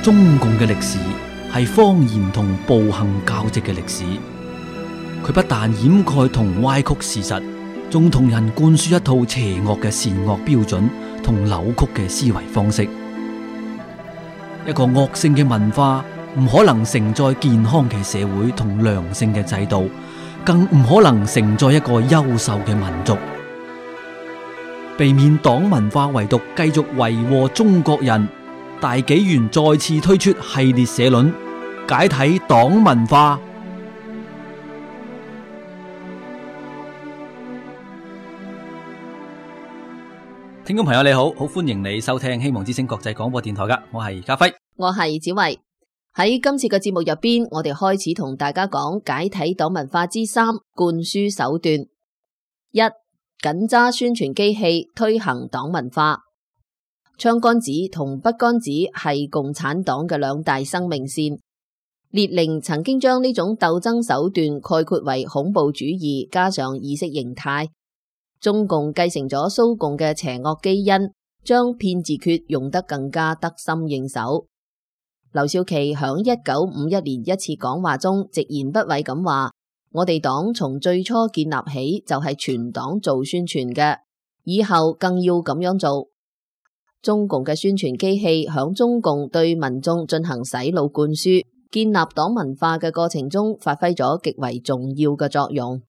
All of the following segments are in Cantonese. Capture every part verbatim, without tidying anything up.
中共嘅歷史係謊言同暴行交織嘅歷史。佢不但掩蓋同歪曲事實，仲同人灌輸一套邪惡嘅善惡標準同扭曲嘅思維方式。一個惡性嘅文化唔可能承載健康嘅社會同良性嘅制度，更唔可能承載一個優秀嘅民族。避免黨文化遺毒繼續為禍中國人，大紀元再次推出系列社論，解體黨文化。聽眾朋友你好，好歡迎你收聽希望之聲國際廣播電台噶，我係家輝，我係子慧。喺今次嘅節目入邊，我哋開始同大家講解體黨文化之三，灌輸手段。一、緊揸宣傳機器推行黨文化。槍桿子同筆桿子係共產黨嘅兩大生命線。列寧曾經將呢種鬥爭手段概括為恐怖主義加上意識形態。中共繼承咗蘇共嘅邪惡基因，將騙字訣用得更加得心應手。劉少奇響一九五一年一次講話中直言不諱咁話：我哋黨從最初建立起就係全黨做宣傳嘅，以後更要咁樣做。中共嘅宣傳機器響中共對民眾進行洗腦灌輸、建立黨文化嘅過程中發揮咗極為重要嘅作用。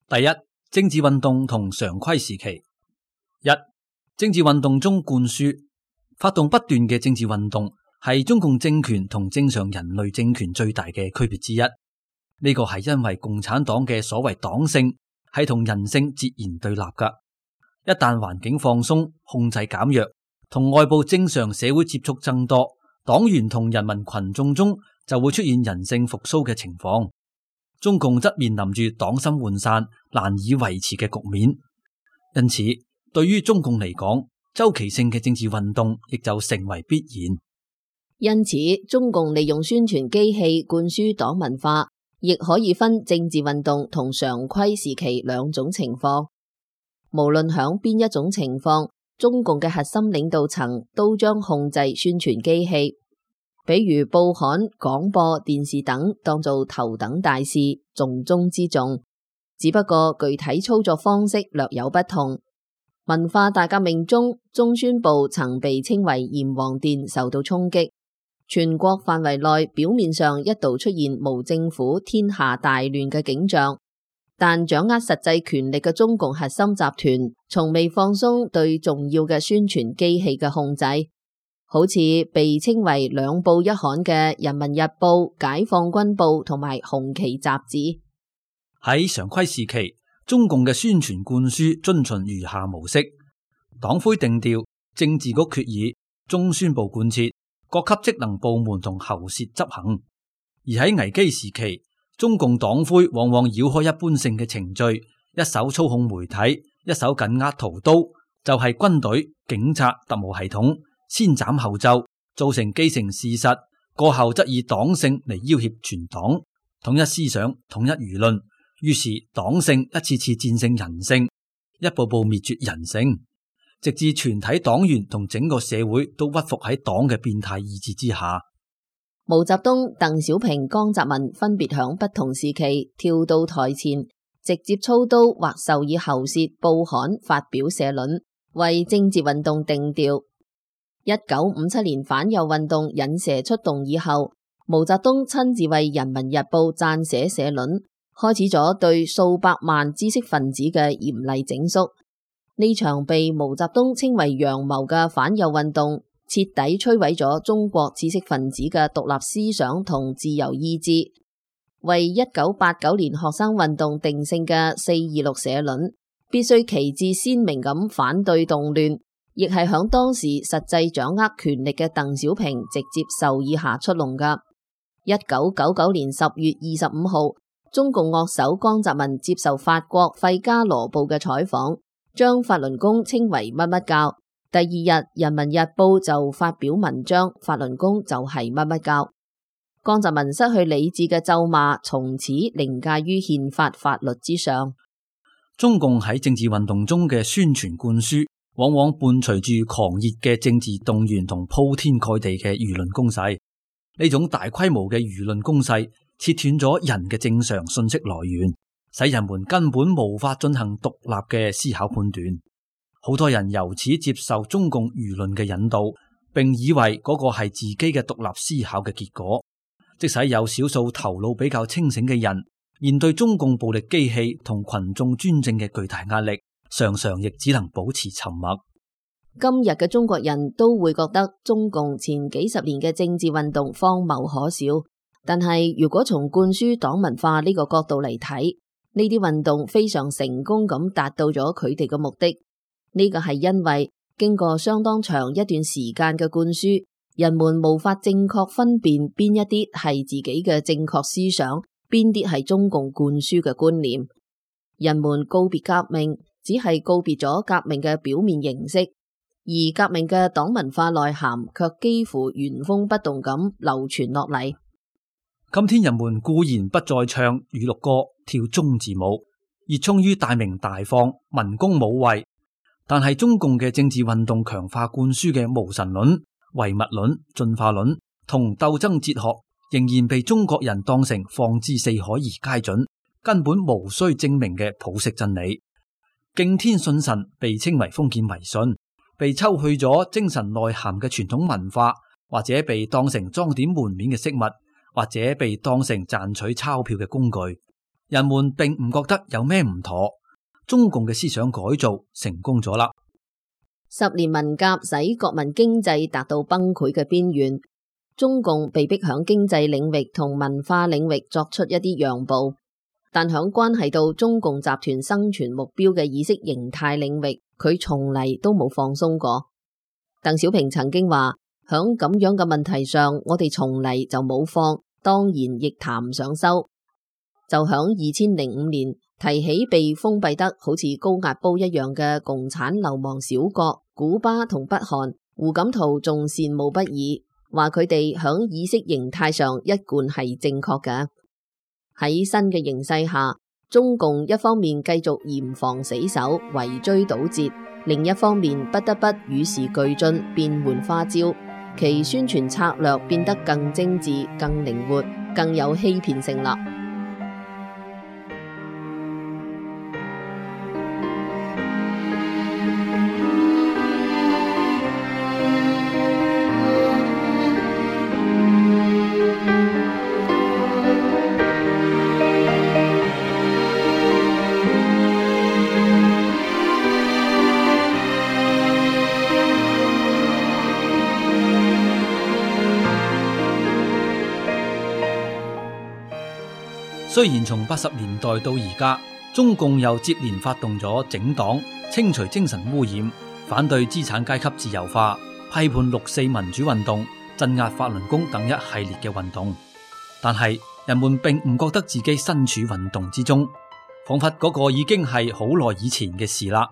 第一，政治運動同常規時期。一、政治運動中灌輸，發動不斷嘅政治運動係中共政權同正常人類政權最大嘅區別之一。呢個係因為共產黨嘅所謂黨性係同人性截然對立噶。一旦環境放鬆、控制減弱，同外部正常社會接觸增多，黨員同人民群眾中就會出現人性復甦嘅情況。中共則面臨住黨心渙散、難以維持嘅局面，因此對於中共嚟講，周期性嘅政治運動亦就成為必然。因此，中共利用宣傳機器灌輸黨文化，亦可以分政治運動同常規時期兩種情況。無論響邊一種情況，中共嘅核心領導層都將控制宣傳機器。比如報刊、廣播、電視等當做頭等大事，重中之重。只不過具體操作方式略有不同。文化大革命中，中宣部曾被稱為閻王殿受到衝擊，全國範圍內表面上一度出現無政府、天下大亂嘅景象，但掌握實際權力嘅中共核心集團從未放鬆對重要嘅宣傳機器嘅控制。好似被稱為兩報一刊嘅《人民日報》、《解放軍報》同埋《紅旗》雜誌。喺常規時期，中共嘅宣傳灌輸遵循如下模式：黨魁定調，政治局決議，中宣部貫徹，各級職能部門同喉舌執行。而喺危機時期，中共黨魁往往繞開一般性嘅程序，一手操控媒體，一手緊握屠刀，就係、是、軍隊、警察、特務系統。先斬後奏，造成既成事實，過後則以黨性嚟要挾全黨，統一思想，統一輿論。於是黨性一次次戰勝人性，一步步滅絕人性，直至全體黨員同整個社會都屈服喺黨嘅變態意志之下。毛澤東、鄧小平、江澤民分別響不同時期跳到台前，直接操刀或授以喉舌報刊發表社論，為政治運動定調。一九五七年反右運動引蛇出洞以後，毛澤東親自為《人民日報》撰寫社論，開始咗對數百萬知識分子嘅嚴厲整肅。呢場被毛澤東稱為陽謀嘅反右運動，徹底摧毀咗中國知識分子嘅獨立思想同自由意志，為一九八九年學生運動定性嘅四二六社論，必須旗幟鮮明咁反對動亂。亦係響當時實際掌握權力嘅鄧小平直接授意下出籠噶。一九九九年十月二十五號，中共樂首江澤民接受法國費加羅報嘅採訪，將法輪功稱為乜乜教。第二日，人民日報就發表文章，法輪功就係乜乜教。江澤民失去理智嘅咒罵，從此凌駕於憲法法律之上。中共喺政治運動中嘅宣傳灌輸，往往伴隨住狂熱嘅政治動員同鋪天蓋地嘅輿論攻勢。呢種大規模嘅輿論攻勢切斷咗人嘅正常信息來源，使人們根本無法進行獨立嘅思考判斷。好多人由此接受中共輿論嘅引導，並以為嗰個係自己嘅獨立思考嘅結果。即使有少數頭腦比較清醒嘅人，面對中共暴力機器同群眾專政嘅巨大壓力，常常亦只能保持沉默。今日嘅中國人都會覺得中共前幾十年嘅政治運動荒謬可笑，但係如果從灌輸黨文化呢個角度嚟睇，呢啲運動非常成功咁達到咗佢哋嘅目的。呢個係因為經過相當長一段時間嘅灌輸，人們無法正確分辨邊一啲係自己嘅正確思想，邊啲係中共灌輸嘅觀念。人們告別革命，只係告別咗革命嘅表面形式，而革命嘅黨文化內涵卻幾乎原封不動咁流傳落嚟。今天人們固然不再唱語錄歌、跳中字舞，熱衷於大鳴大放、文攻武衛，但係中共嘅政治運動強化灌輸嘅無神論、唯物論、進化論同鬥爭哲學，仍然被中國人當成放之四海而皆準、根本無需證明嘅普世真理。敬天信神被稱為封建迷信，被抽去咗精神內涵嘅傳統文化，或者被當成裝點門面嘅飾物，或者被當成賺取鈔票嘅工具。人們並唔覺得有咩唔妥。中共嘅思想改造成功咗啦。十年文革使國民經濟達到崩潰嘅邊緣，中共被迫響經濟領域同文化領域作出一啲讓步，但響關係到中共集團生存目標嘅意識形態領域，佢從嚟都冇放鬆過。鄧小平曾經話，響咁樣嘅問題上，我哋從嚟就冇放，當然亦談唔上收。就響二千零五年提起被封閉得好似高壓煲一樣嘅共產流氓小國古巴同北韓，胡錦濤仲羨慕不已，話佢哋響意識形態上一貫係正確嘅。喺新嘅形勢下，中共一方面繼續嚴防死守、圍追堵截，另一方面不得不與時俱進、變換花招，其宣傳策略變得更精緻、更靈活、更有欺騙性啦。雖然從八十年代到而家，中共又接連發動咗整黨、清除精神污染、反對資產階級自由化、批判六四民主運動、鎮壓法輪功等一系列嘅運動，但係人們並唔覺得自己身處運動之中，仿佛嗰個已經係好耐以前嘅事啦。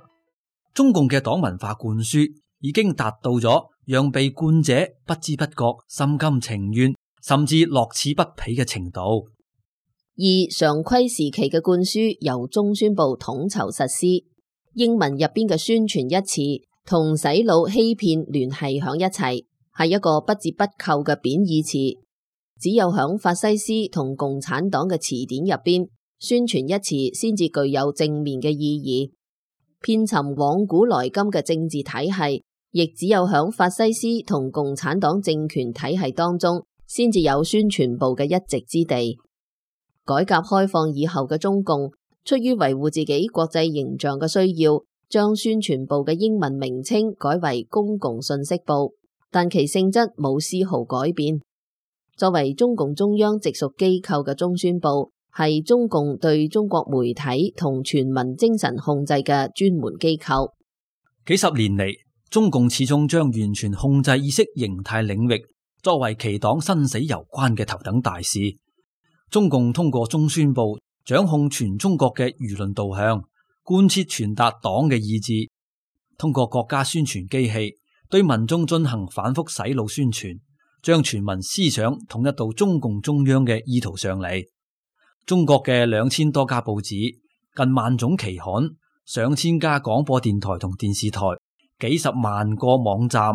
中共嘅黨文化灌輸已經達到咗讓被灌者不知不覺、心甘情願，甚至樂此不疲嘅程度。而常規時期嘅灌輸由中宣部統籌實施，英文入邊嘅宣傳一詞同洗腦欺騙聯繫響一齊，係一個不折不扣嘅貶義詞。只有響法西斯同共產黨嘅詞典入邊，宣傳一詞先至具有正面嘅意義。遍尋往古來今嘅政治體系，亦只有響法西斯同共產黨政權體系當中，先至有宣傳部嘅一席之地。改革開放以後嘅中共，出於維護自己國際形象嘅需要，將宣傳部嘅英文名稱改為公共信息部，但其性質冇絲毫改變。作為中共中央直屬機構嘅中宣部，係中共對中國媒體同全民精神控制嘅專門機構。幾十年嚟，中共始終將完全控制意識形態領域作為其黨生死攸關嘅頭等大事。中共通過中宣部掌控全中國嘅輿論導向，貫徹傳達黨嘅意志，通過國家宣傳機器對民眾進行反覆洗腦宣傳，將全民思想統一到中共中央嘅意圖上嚟。中國嘅兩千多家報紙、近萬種期刊、上千家廣播電台同電視台，幾十萬個網站，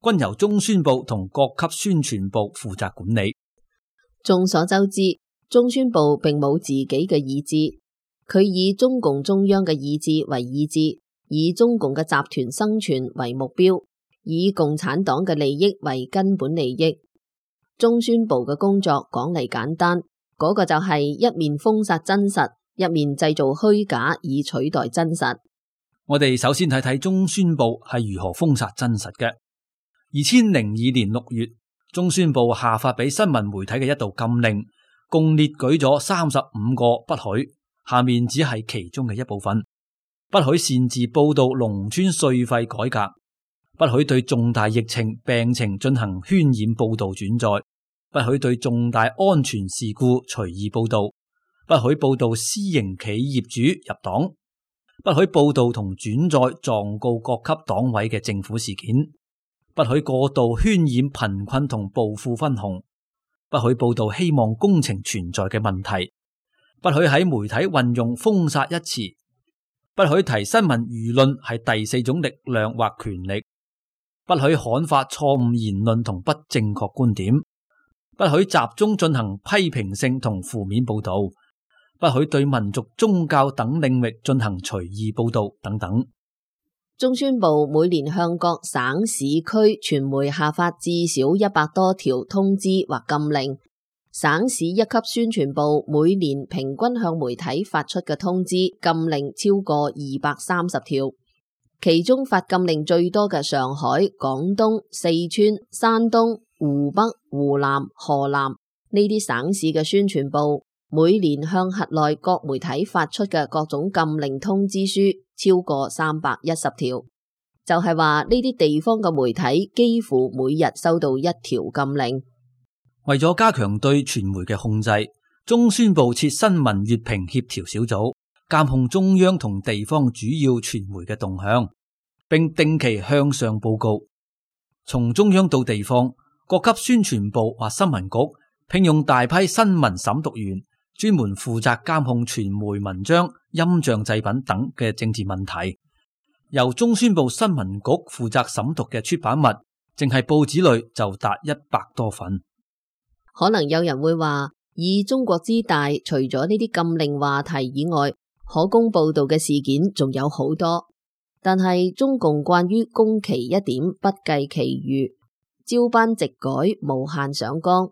均由中宣部同各級宣傳部負責管理。眾所周知，中宣部並冇自己嘅意志，佢以中共中央嘅意志為意志，以中共嘅集團生存為目標，以共產黨嘅利益為根本利益。中宣部嘅工作講嚟簡單，嗰個就係一面封殺真實，一面製造虛假以取代真實。我哋首先睇睇中宣部係如何封殺真實嘅。二千零二年六月，中宣部下發俾新聞媒體嘅一道禁令，共列舉咗三十五個不許，下面只係其中嘅一部分。不許擅自報道農村稅費改革，不許對重大疫情病情進行渲染報道轉載，不許對重大安全事故隨意報道，不許報道私營企業主入黨，不許報道同轉載狀告各級黨委嘅政府事件，不許過度渲染貧困同暴富分紅，不許報道希望工程存在嘅問題，不許喺媒體運用封殺一詞，不許提新聞輿論係第四種力量或權力，不許刊發錯誤言論同不正確觀點，不許集中進行批評性同負面報道，不許對民族宗教等領域進行隨意報道等等。中宣部每年向各省市區傳媒下發至少一百多條通知或禁令，省市一級宣傳部每年平均向媒體發出嘅通知禁令超過二百三十條，其中發禁令最多嘅上海、廣東、四川、山東、湖北、湖南、河南呢啲省市嘅宣傳部每年向轄內各媒體發出嘅各種禁令通知書超過三百一十條，就係話呢啲地方嘅媒體幾乎每日收到一條禁令。為咗加強對傳媒嘅控制，中宣部設新聞閱評協調小組，監控中央同地方主要傳媒嘅動向，並定期向上報告。從中央到地方，各級宣傳部或新聞局聘用大批新聞審讀員，專門負責監控傳媒文章、音像製品等嘅政治問題。由中宣部新聞局負責審讀嘅出版物，淨係報紙類就達一百多份。可能有人會話，以中國之大，除咗呢啲禁令話題以外，可供報道嘅事件仲有好多。但係中共慣於攻其一點，不計其餘，照班直改，無限上綱。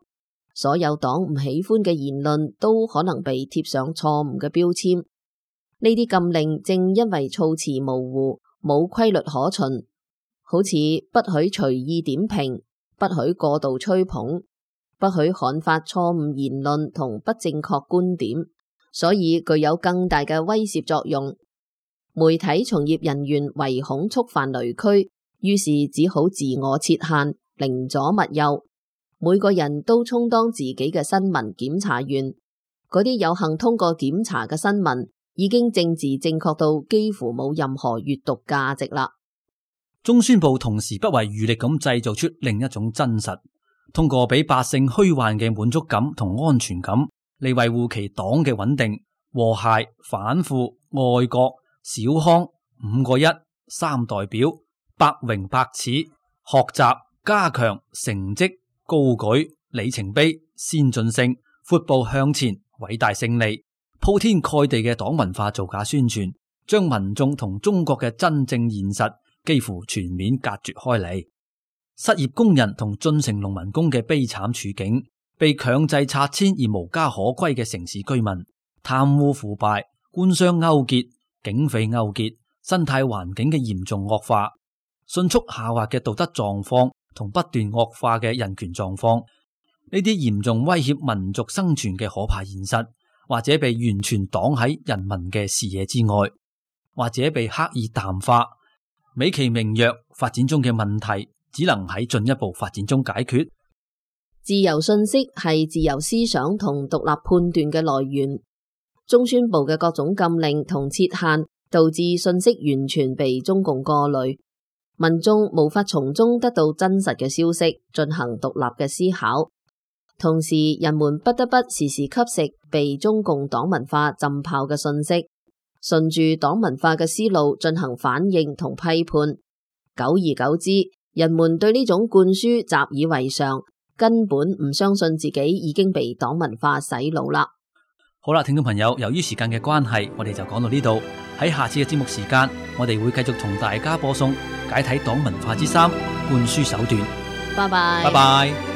所有黨唔喜歡嘅言論都可能被貼上錯誤嘅標籤。呢啲禁令正因為措辭模糊，冇規律可循，好似不許隨意點評，不許過度吹捧，不許刊發錯誤言論同不正確觀點，所以具有更大嘅威懾作用。媒體從業人員唯恐觸犯雷區，於是只好自我設限，寧左勿右。每個人都充當自己嘅新聞檢查員，嗰啲有幸通過檢查嘅新聞已經政治正確到幾乎冇任何閱讀價值啦。中宣部同時不遺餘力咁製造出另一種真實，通過俾百姓虛幻嘅滿足感同安全感嚟維護其黨嘅穩定、和諧、反腐、愛國、小康、五個一、三代表、百榮百恥、學習、加強、成績、高舉、里程碑、先進性、闊步向前、偉大勝利、鋪天蓋地嘅黨文化造假宣傳，將民眾同中國嘅真正現實幾乎全面隔絕開嚟。失業工人同進城農民工嘅悲慘處境，被強制拆遷而無家可歸嘅城市居民，貪污腐敗、官商勾結、警匪勾結、生態環境嘅嚴重惡化、迅速下滑嘅道德狀況同不斷惡化嘅人權狀況，呢啲嚴重威脅民族生存嘅可怕現實，或者被完全擋喺人民嘅視野之外，或者被刻意淡化，美其名曰發展中嘅問題，只能喺進一步發展中解決。自由信息係自由思想同獨立判斷嘅來源。中宣部嘅各種禁令同設限，導致信息完全被中共過濾，民眾無法從中得到真實嘅消息，進行獨立嘅思考。同時，人們不得不時時吸食被中共黨文化浸泡嘅信息，順住黨文化嘅思路進行反應同批判。久而久之，人們對呢種灌輸習以為常，根本唔相信自己已經被黨文化洗腦啦。好啦，聽眾朋友，由於時間嘅關係，我哋就講到呢度。喺下次嘅節目時間，我哋會繼續同大家播送解體黨文化之三，灌輸手段。拜拜。拜拜。